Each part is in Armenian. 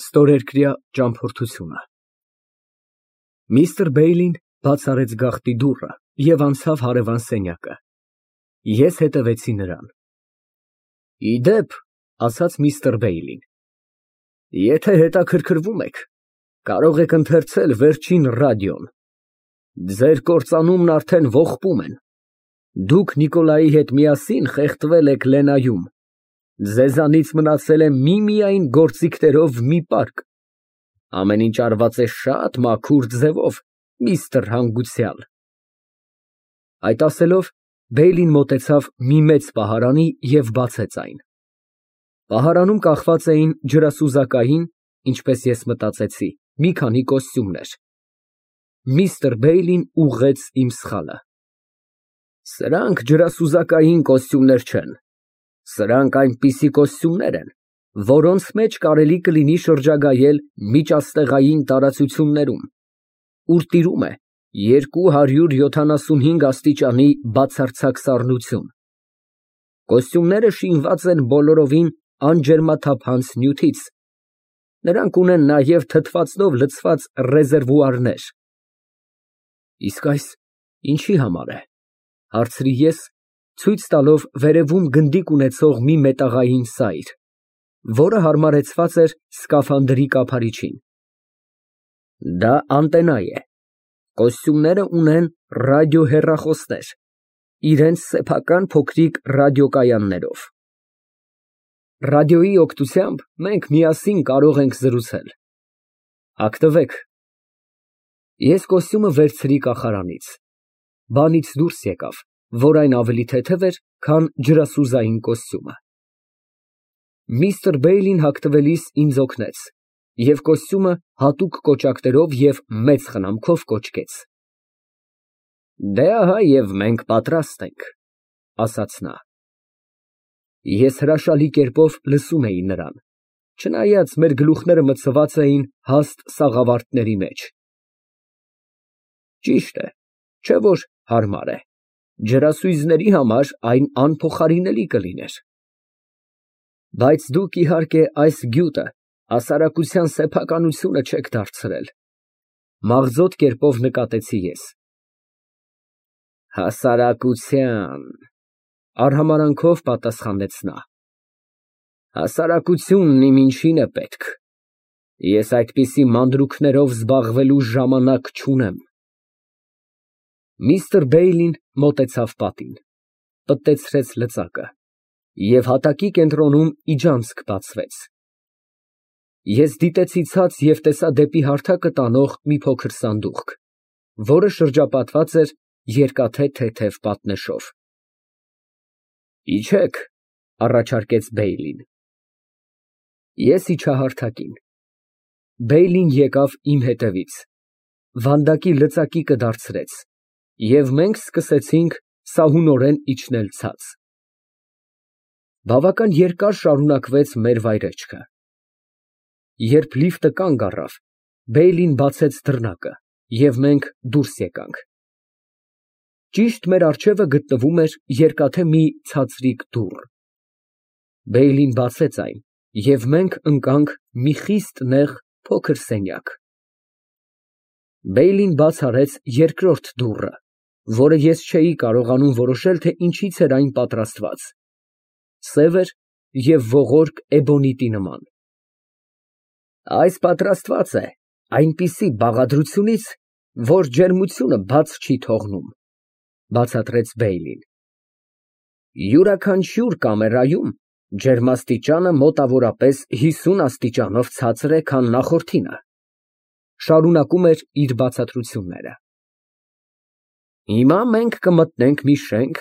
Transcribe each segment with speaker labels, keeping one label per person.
Speaker 1: Ստորերկրյա ճամփորդությունը Միստր Բեյլին բաց արեց գաղտի դուռը և անցավ հարևան սենյակը։ Ես հետևեցի նրան։ Ի դեպ, ասաց միստր Բեյլին, եթե հետաքրքրվում եք, կարող եք ընթերցել վերջին ռադիոն։ Ձեր կործանումն արդեն ողբում են։ Դուք Նիկոլայի հետ միասին խեղդվել եք Լենայում։ Ձեզանից մնացել է միմիայն գործիքներով մի պարկ։ Ամեն ինչ արված է շատ մաքուր ձևով, միստր հանգուցյալ։ Այդ ասելով, Բեյլին մոտեցավ մի մեծ պահարանի և բացեց այն։ Պահարանում կախված էին ջրասուզակային, ինչպես ես մտածեցի, մի քանի կոստյումներ։ Միստր Բեյլին ուղղեց իմ սխալը։ Սրանք ջրասուզակային կոստյումներ չեն։ Սրանք այնպիսի կոստյումներ են, որոնց մեջ կարելի կլինի շրջագայել միջաստեղային տարածություններում, ուր տիրում է 275 աստիճանի բացարձակ սառնություն։ Կոստյումները շինված են բոլորովին անջերմաթափանց նյութից։ Նրանք ունեն նաև թթվածնով լցված ռեզերվուարներ։ Իսկ այս ինչի համար է, հարցրի ես, ցույց տալով վերևում գնդիկ ունեցող մի մետաղային սայր, որը հարմարեցված էր սկաֆանդրի կափարիչին։ Դա անտենա է։ Կոստյումները ունեն ռադիոհեռախոսներ, իրենց սեփական փոքրիկ ռադիոկայաններով։ Ռադիոյի օգնությամբ մենք միասին կարող ենք զրուցել։ Հագնվեք։ Ես կոստյումը վերցրի կախարանից։ Բանից դուրս եկավ, որ այն ավելի թեթև էր, քան ջրասուզային կոստյումը։ Միստր Բեյլին հագնվելիս ինձ օգնեց և կոստյումը հատուկ կոճակներով և մեծ խնամքով կոճկեց։ Դե ահա և մենք պատրաստ ենք, ասաց նա։ Ես հրաշալի կերպով լսում էի նրան, չնայած մեր գլուխները մտցված էին հաստ սաղավարտների մեջ։ Ճիշտ է, չէ՞ որ հարմար է, ջրասույզների համար այն անփոխարինելի կլիներ։ Բայց դուք, իհարկե, այս գյուտը հասարակության սեփականությունը չեք դարձրել, մաղձոտ կերպով նկատեցի ես։ Հասարակության, արհամարանքով պատասխանեց նա։ Հասարակությունն իմ ինչին է պետք։ Ես այդպիսի մանրուքներով զբաղվելու ժամանակ չունեմ։ Միստր Բեյլին մոտեցավ պատին, պտտեցրեց լծակը, և հատակի կենտրոնում իջանցք բացվեց։ Ես դիտեցի ցած և տեսա դեպի հարթակը տանող մի փոքր սանդուղք, որը շրջապատված էր երկաթե թեթև պատնեշով։ Իջեք, առաջարկեց Բեյլին։ Ես իջա հարթակին։ Բեյլին եկավ իմ հետևից, վանդակի լծակի դարձրեց, և մենք սկսեցինք սահունորեն իջնել ցած։ Բավական երկար շարունակվեց մեր վայրեջքը։ Երբ լիֆտը կանգ առավ, Բեյլին բացեց դռնակը, և մենք դուրս եկանք։ Ճիշտ մեր առջևը գտնվում էր երկաթե մի ցածրիկ դուռ։ Բեյլին բացեց այն, և մենք ընկանք մի խիստ նեղ փոքր սենյակ։ Բեյլին բաց արեց երկրորդ դուռը, որը ես չէի կարողանում որոշել, թե ինչից էր այն պատրաստված։ Սև էր և ողորկ էբոնիտի նման։ Այս պատրաստված է այնպիսի բաղադրությունից, որ ջերմությունը բաց չի թողնում, բացատրեց Բեյլին։ Յուրաքանչյուր կամերայում ջերմաստիճանը մոտավորապես 50 աստիճանով ցածր է, քան նախորդինը, շարունակում էր իր բացատրությունները։ Հիմա մենք կմտնենք մի շենք,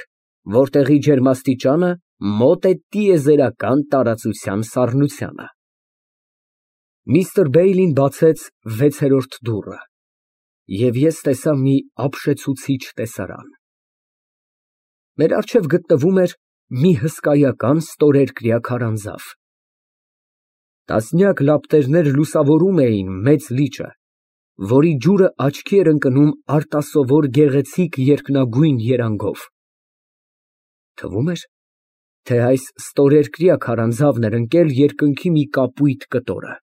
Speaker 1: որտեղի ջերմաստիճանը մոտ է տիեզերական տարածության սառնությանը։ Միստր Բեյլին բացեց 6-րդ դուռը, և ես տեսա մի ապշեցուցիչ տեսարան։ Մեր առջև գտնվում էր մի հսկայական ստորերկրյա քարանձավ։ Տասնյակ լապտերներ լուսավորում էին մեծ լիճը, որի ջուրը աչքի էր ընկնում արտասովոր գեղեցիկ երկնագույն երանգով։ Թվում էր, թե այս ստորերկրյա քարանձավն էր ընկել երկնքի մի կապույտ կտորը։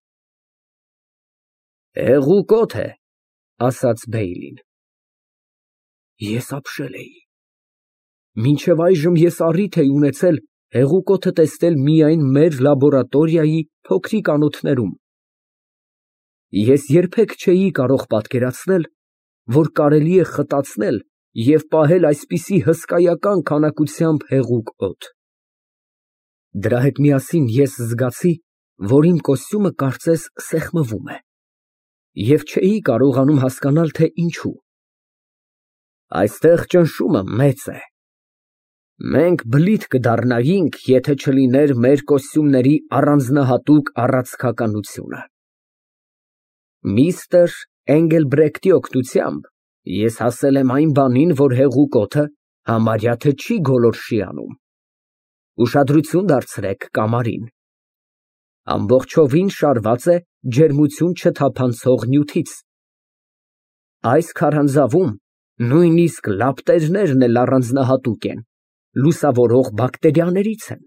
Speaker 1: Հեղուկոտ է, ասաց Բեյլին։ Ես ապշել էի։ Մինչև այժմ ես առիթ էի ունեցել հեղուկոթը տեսնել միայն մեր լաբորատորիայի փոքրիկ անոթներում։ Ես երբեք չէի կարող պատկերացնել, որ կարելի է խտացնել և պահել այսպիսի հսկայական քանակությամբ հեղուկ օդ։ Դրա հետ միասին ես զգացի, որ իմ կոստյումը կարծես սեղմվում է, և չէի կարողանում հասկանալ, թե ինչու։ Այստեղ ճնշումը մեծ է։ Մենք բլիթ կդառնայինք, եթե չլիներ մեր կոստյումների առանձնահատուկ առացքականությունը։ Միստր Էնգելբրեկտի օգնությամբ ես հասել եմ այն բանին, որ հեղուկ օդը համարյա թե չի գոլորշի անում։ Ուշադրություն դարձրեք կամարին։ Ամբողջովին շարված է ջերմություն չթափանցող նյութից։ Այս քարանձավում նույնիսկ լապտերներն էլ առանձնահատուկ են, լուսավորող բակտերիաներից են։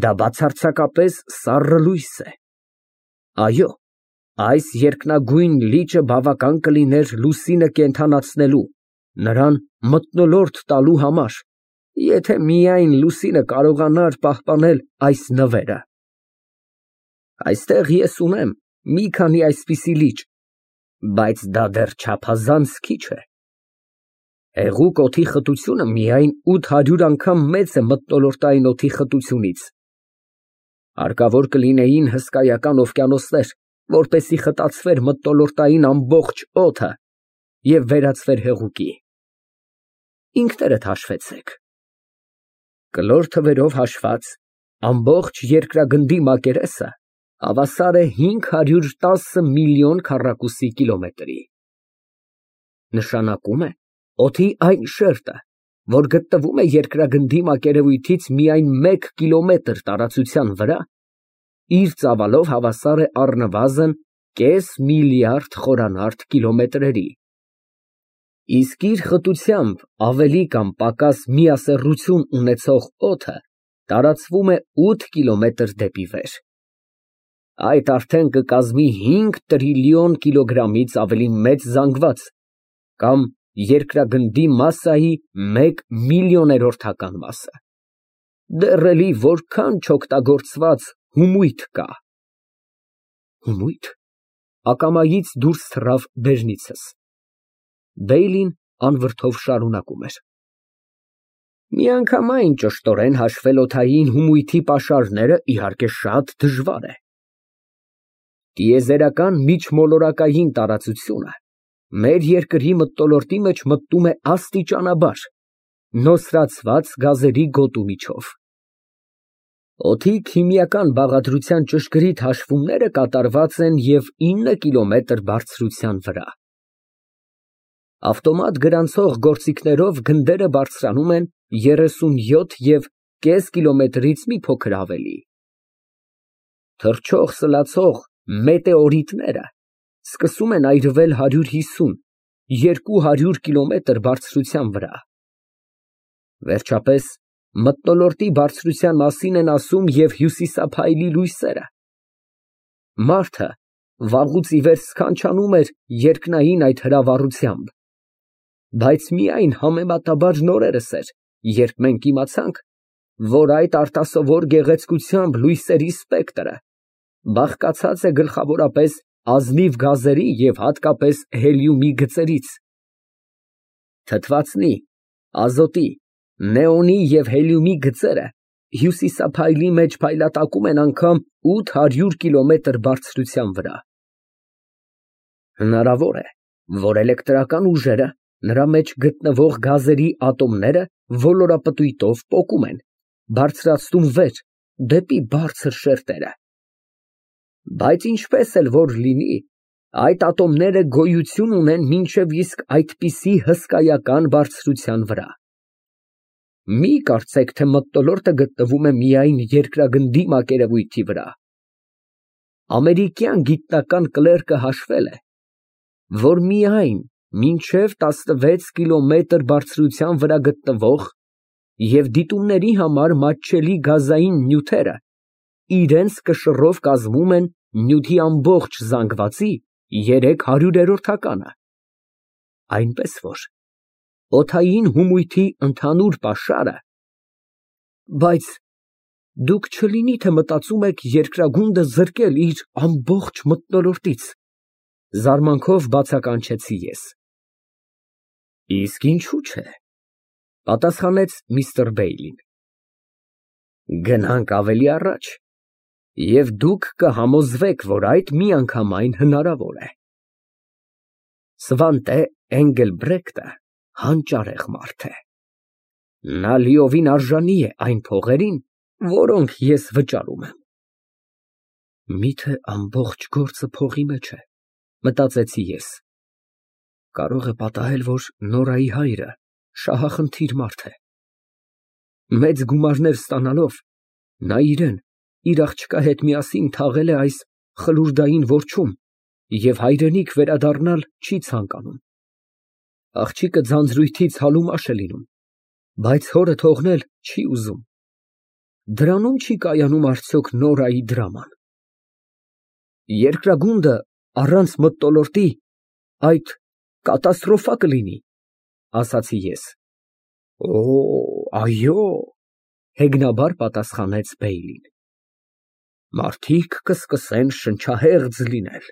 Speaker 1: Դա բացարձակապես սառը լույս է։ Այո, այս երկնագույն լիճը բավական կլիներ լուսինը կենդանացնելու, նրան մթնոլորտ տալու համար, եթե միայն լուսինը կարողանար պահպանել այս նվերը։ Այստեղ ես ունեմ մի քանի այսպիսի լիճ, բայց դա դեռ չափազանց քիչ է։ Հեղուկ օդի խտությունը միայն 800 անգամ մեծ է մթնոլորտային օդի խտությունից։ Հարկավոր կլինեին հսկայական օվկիանոսներ, որպեսզի խտացվեր մթնոլորտային ամբողջ օդը և վերածվեր հեղուկի։ Ինքներդ հաշվեցեք։ Կլոր թվերով հաշված, ամբողջ երկրագնդի մակերեսը հավասար է 510 միլիոն քառակուսի կիլոմետրի։ Նշանակում է օդի այն շերտը, որ գտնվում է երկրագնդի մակերևույթից միայն 1 կիլոմետր տարածության վրա, իր ծավալով հավասար է առնվազն կես միլիարդ խորանարդ կիլոմետրերի, իսկ իր խտությամբ ավելի կամ պակաս միասեռություն ունեցող օդը տարածվում է 8 կիլոմետր դեպի վեր։ Այդ արդեն կկազմի 5 տրիլիոն կիլոգրամից ավելի մեծ զանգված կամ երկրագնդի մասսայի 1 միլիոներորդական մասը։ Դեռ էլի որքան չօգտագործված հումույթ կա։ Հումույթ։ Ակամայից դուրս թռավ բերանիցս։ Բեյլին անվրդով շարունակում էր. Միանգամայն ճշտորեն հաշվել օդային հումույթի պաշարները իհարկե շատ դժվար է։ Տիեզերական միջմոլորակային տարածությունը մեր երկրի մթնոլորտի մեջ մտնում է աստիճանաբար, նոսրացված գազերի գոտու միջով։ Օդի քիմիական բաղադրության ճշգրիտ հաշվումները կատարված են և 9 կիլոմետր բարձրության վրա։ Ավտոմատ գրանցող գործիքներով գնդերը բարձրանում են 37,5 կիլոմետրից մի փոքր ավելի։ Թռչող սլացող մետեորիտները սկսում են այրվել 150-200 կիլոմետր բարձրության վրա։ Վերջապես, մթնոլորտի բարձրության մասին են ասում և հյուսիսափայլի լույսերը։ Մարդը վաղուց ի վեր սքանչանում էր երկնային այդ հրավառությամբ, բայց միայն համեմատաբար նորերս էր, երբ մենք իմացանք, որ այդ արտասովոր գեղեցկությամբ լույսերի սպեկտրը բաղկացած է գլխավորապես ազնիվ գազերի և հատկապես հելիումի գծերից։ Թթվածնի, ազոտի, նեոնի և հելիումի գծերը հյուսիսափայլի մեջ փայլատակում են անգամ 800 կիլոմետր բարձրության վրա։ Հնարավոր է, որ էլեկտրական ուժերը նրա մեջ գտնվող գազերի ատոմները ոլորապտույտով պոկում են, բարձրացնում վեր, դեպի բարձր շերտերը։ Բայց ինչպես էլ որ լինի, այդ ատոմները գոյություն ունեն մինչև իսկ այդպիսի հսկայական բարձրության վրա։ Մի կարծեք, թե մթնոլորտը գտնվում է միայն երկրագնդի մակերևույթի վրա։ Ամերիկյան գիտնական կլերկը հաշվել է, որ միայն մինչև 16 կիլոմետր բարձրության վրա գտնվող և դիտումների համար մատչելի գազային նյութերը իրենց կշռով կազմում են նյութի ամբողջ զանգվածի 300-րդականը։ Այնպես որ օդային հումույթի ընդհանուր պաշարը, բայց դուք չլինի թե մտածում եք երկրագունդը զրկել իր ամբողջ մթնոլորտից, զարմանքով բացականչեցի ես։ Իսկ ինչու՞ չէ, պատասխանեց միստր Բեյլին։ Գնանք ավելի առաջ, և դուք կհամոզվեք, որ այդ միանգամայն հնարավոր է։ Սվանտե Էնգելբրեկտը հանճարեղ մարդ է։ Նա լիովին արժանի է այն փողերին, որոնք ես վճարում եմ։ Միթե ամբողջ գործը փողի մեջ է, մտածեցի ես։ Կարող է պատահել, որ Նորայի հայրը շահախնդիր մարդ է։ Մեծ գումարներ ստանալով, նա իրեն իր աղջկա հետ միասին թաղել է այս խլուրդային որջում և հայրենիք վերադառնալ չի ցանկանում։ Աղջիկը ձանձրույթից հալումաշ է լինում, բայց հորը թողնել չի ուզում։ Դրանում չի կայանում արդյոք Նորայի դրաման։ Երկրագունդը առանց մթնոլորտի այդ կատաստրոֆա կլինի, ասացի ես։ Օ, այո, հեգնաբար պատասխանեց Բեյլին։ Մարդիկ կսկսեն շնչահեղձ լինել։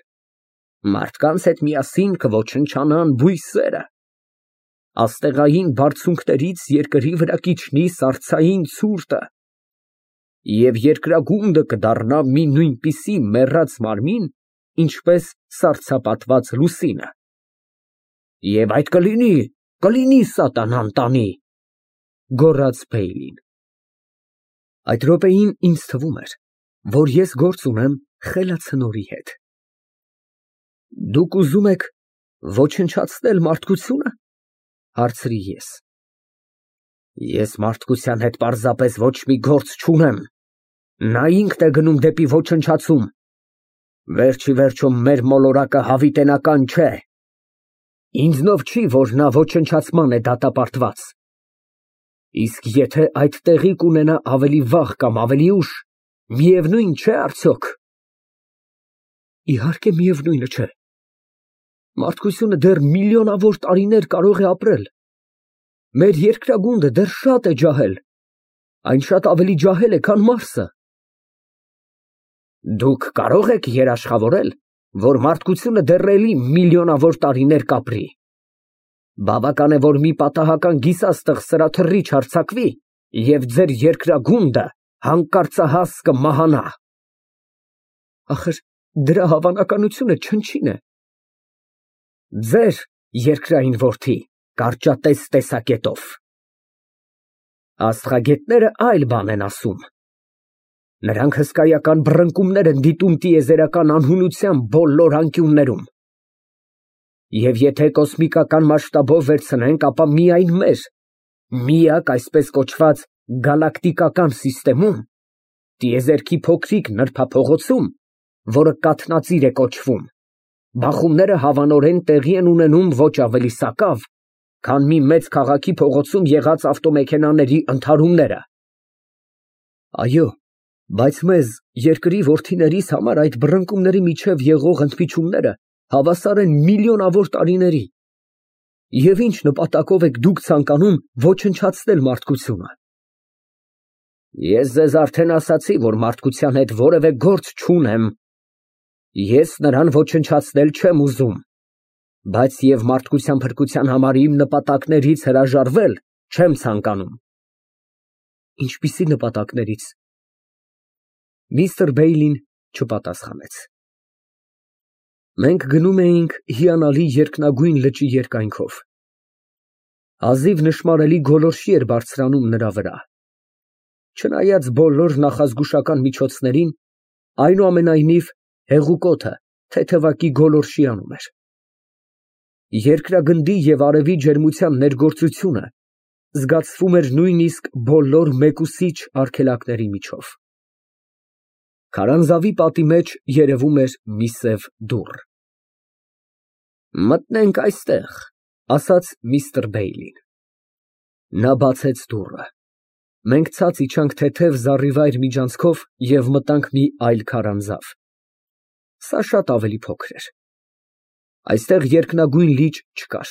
Speaker 1: Մարդկանց հետ միասին կոչնչանան բույսերը։ Աստեղային բարձունքներից երկրի վրա կիջնի սառցային ցուրտը, և երկրագունդը կդառնա մի նույնպիսի մեռած մարմին, ինչպես սառցապատված լուսինը։ Եվ այդ կլինի սատանան տանի, գոռաց Բեյլին։ Այդ րոպեին ինձ թվում էր, որ ես գործ ունեմ խելացնորի հետ։ Դուք ուզում եք ոչնչացնել մարդկությունը, հարցրի ես։ Ես մարդկության հետ պարզապես ոչ մի գործ չունեմ, նա ինքն է գնում դեպի ոչնչացում։ Վերջիվերջո մեր մոլորակը հավիտենական չէ։ Ինձնով չի, որ նա ոչնչացման է դատապարտված։ Իսկ եթե այդ տեղի կունենա ավելի վաղ կամ ավելի ուշ, միևնույն չէ արդյոք։ Իհարկե միևնույնը չէ։ Մարդկությունը դեռ միլիոնավոր տարիներ կարող է ապրել։ Մեր երկրագունդը դեռ շատ է ջահել, այն շատ ավելի ջահել է, քան Մարսը։ Դուք կարող եք երաշխավորել, որ մարդկությունը դեռ էլի միլիոնավոր տարիներ կապրի։ Բավական է, որ մի պատահական գիսաստղ սրա թռիչ հարձակվի, և ձեր երկրագունդը հանկարծահաս կմահանա։ Ախր դրա հավանականությունը չնչին է։ Ձեր երկրային որդի, կարճատես տեսակետով։ Աստղագետները այլ բան են ասում։ Նրանք հսկայական բռնկումներ են դիտում տիեզերական անհունության բոլոր անկյուններում։ Եվ եթե կոսմիկական մասշտաբով վերցնենք, ապա միայն մեր միակ այսպես կոչված գալակտիկական սիստեմում, տիեզերքի փոքրիկ նրբափողոցում, որը կաթնածիր է կոչվում, բախումները հավանորեն տեղի են ունենում ոչ ավելի սակավ, քան մի մեծ քաղաքի փողոցում եղած ավտոմեքենաների ընդհարումները։ Այո, բայց մեզ, երկրի որդիներիս համար այդ բռնկումների միջև եղող ընդմիջումները հավասար են միլիոնավոր տարիների։ Եվ ինչ նպատակով եք դուք ցանկանում ոչնչացնել մարդկությունը։ Ես ձեզ արդեն ասացի, որ մարդկության հետ որևէ գործ չունեմ։ Ես նրան ոչնչացնել չեմ ուզում, բայց և մարդկության փրկության համար իմ նպատակներից հրաժարվել չեմ ցանկանում։ Ինչպիսի նպատակներից։ Միստր Բեյլին չպատասխանեց։ Մենք գնում էինք հիանալի երկնագույն լճի երկայնքով։ Հազիվ նշմարելի գոլորշի էր բարձրանում նրա վրա։ Չնայած բոլոր նախազգուշական միջոցներին, այնուամենայնիվ հեղուկոթը թեթևակի գոլորշիանում էր։ Երկրագնդի և արևի ջերմության ներգործությունը զգացվում էր նույնիսկ բոլոր մեկուսիչ արգելակների միջով։ Քարանձավի պատի մեջ երևում էր մի սև դուռ։ Մտնենք այստեղ, ասաց միստր Բեյլին։ Նա բացեց դուռը։ Մենք ցած իջանք թեթև զառիվայր միջանցքով և մտանք մի այլ քարանձավ։ Սա շատ ավելի փոքր էր։ Այստեղ երկնագույն լիճ չկար։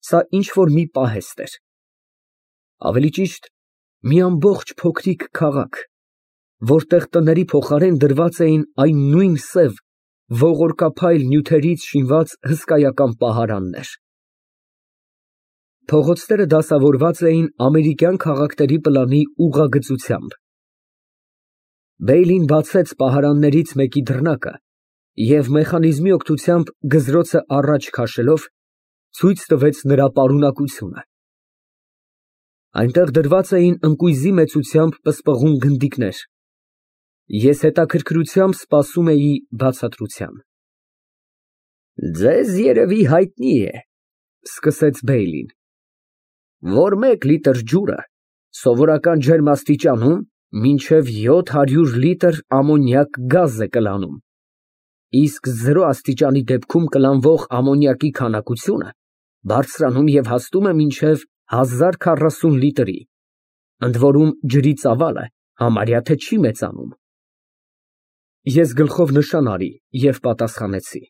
Speaker 1: Սա ինչ֊որ մի պահեստ էր։ Ավելի ճիշտ, մի ամբողջ փոքրիկ քաղաք, որտեղ տների փոխարեն դրված էին այն նույն սև, ողորկափայլ նյութերից շինված հսկայական պահարաններ։ Փողոցները դասավորված էին ամերիկյան քաղաքների պլանի ուղղագծությամբ։ Բեյլին բացեց պահարաններից մեկի դռնակը և մեխանիզմի օգնությամբ գզրոցը առաջ քաշելով ցույց տվեց նրա պարունակությունը։ Այնտեղ դրված էին ընկույզի մեծությամբ պսպղուն գնդիկներ։ Ես հետաքրքրությամբ սպասում էի բացատրության։ Ձեզ երևի հայտնի է, սկսեց Բեյլին, որ 1 լիտր ջուրը սովորական ջերմաստիճանում մինչև 700 լիտր ամոնիակ գազ է կլանում, իսկ 0 աստիճանի դեպքում կլանվող ամոնիակի քանակությունը բարձրանում և հասնում է մինչև 1040 լիտրի, ընդ որում ջրի ծավալը համարյա թե չի մեծանում։ Ես գլխով նշան արի և պատասխանեցի.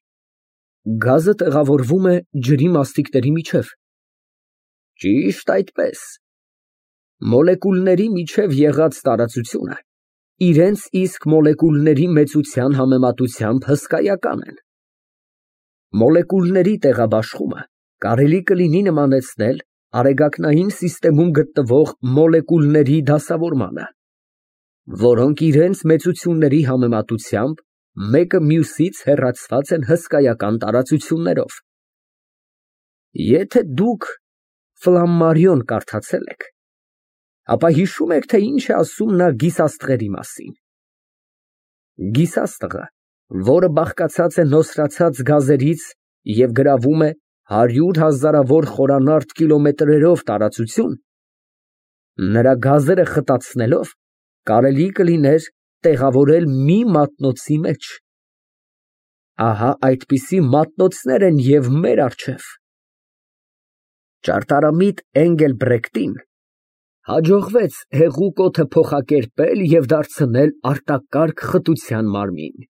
Speaker 1: Գազը տեղավորվում է ջրի մասնիկների միջև։ Ճիշտ այդպես։ Մոլեկուլների միջև եղած տարածությունը իրենց իսկ մոլեկուլների մեծության համեմատությամբ հսկայական են։ Մոլեկուլների տեղաբաշխումը կարելի կլինի նմանեցնել արեգակնային սիստեմում գտնվող մոլեկուլների դասավորմանը, որոնք իրենց մեծությունների համեմատությամբ մեկը մյուսից հեռացված են հսկայական տարածություններով։ Եթե դուք Ֆլամմարիոն կարդացել եք, ապա հիշում եք, թե ինչ է ասում նա գիսաստղերի մասին։ Գիսաստղը, որը բաղկացած է նոսրացած գազերից և գրավում է 100 հազարավոր խորանարդ կիլոմետրերով տարածություն, նրա գազերը խտացնելով կարելի կլիներ տեղավորել մի մատնոցի մեջ։ Ահա այդպիսի մատնոցներ են և մեր առջև։ Ճարտարամիտ Էնգելբրեկտին հաջողվեց հեղուկ օդը փոխակերպել և դարձնել արտակարգ խտության մարմին։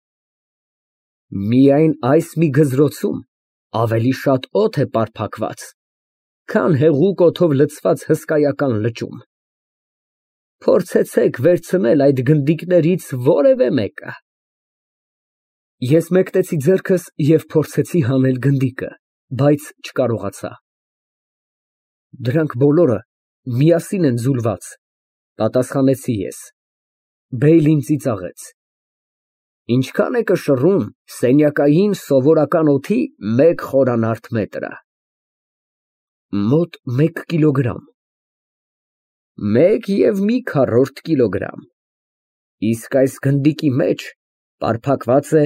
Speaker 1: Միայն այս մի գզրոցում ավելի շատ օդ է պարփակված, քան հեղուկ օդով լցված հսկայական լճում։ Փորձեցեք վերցնել այդ գնդիկներից որևէ մեկը։ Ես մեկնեցի ձեռքս և փորձեցի հանել գնդիկը, բայց չկարողացա։ Դրանք բոլորը միասին են ձուլված, պատասխանեցի ես։ Բեյլին ծիծաղեց։ Ինչքան է կշռում սենյակային սովորական օդի 1 խորանարդ մետրը։ Մոտ 1 կիլոգրամ։ 1 կիլոգրամ։ Իսկ այս գնդիկի մեջ պարփակված է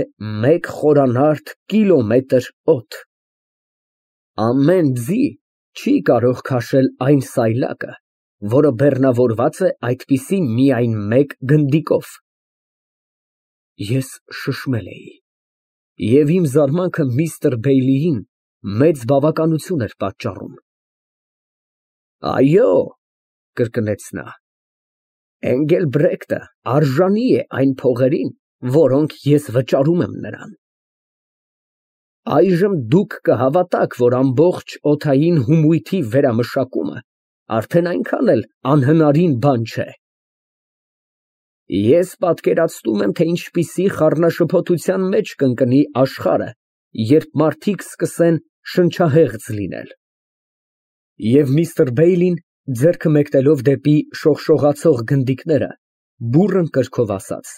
Speaker 1: 1 խորանարդ կիլոմետր օդ։ Ամեն ձի չի կարող քաշել այն սայլակը, որը բեռնավորված է այդպիսի միայն 1 գնդիկով։ Ես շշմել էի, և իմ զարմանքը միստր Բեյլիին մեծ բավականություն էր պատճառում։ Այո, կրկնեց նա, Էնգելբրեկտը արժանի է այն փողերին, որոնք ես վճարում եմ նրան։ Այժմ դուք կհավատաք, որ ամբողջ օդային հումույթի վերամշակումը արդեն այնքան էլ անհնարին բան չէ։ Ես պատկերացնում եմ, թե ինչպիսի խառնաշփոթության մեջ կընկնի աշխարհը, երբ մարդիկ սկսեն շնչահեղձ լինել։ Եվ միստր Բեյլին, ձեռքը մեկնելով դեպի շողշողացող գնդիկները, բուռն կրքով ասաց.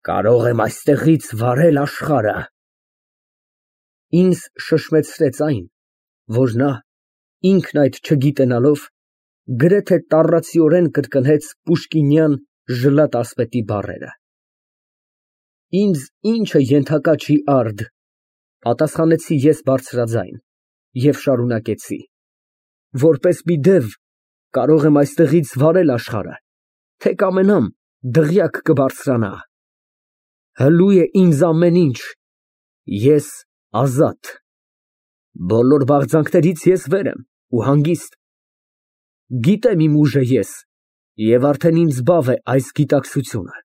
Speaker 1: Կարող եմ այստեղից վարել աշխարհը։ Ինձ շշմեցրեց այն, որ նա, ինքն այդ չգիտենալով, գրեթե տառացիորեն կրկնեց պուշկինյան ժլատ֊ասպետի բառերը։ Ինձ ինչը ենթակա չի արդ, պատասխանեցի ես բարձրաձայն և շարունակեցի. Որպես մի դև կարող եմ այստեղից վարել աշխարհը, թե կամենամ դղյակ կբարձրանա։ Հլու է ինձ ամեն ինչ, ես ազատ։ Բոլոր բաղձանքներից ես վեր եմ ու հանգիստ։ Գիտեմ իմ ուժը ես, և արդեն ինձ բավ է այս գիտակցությունը։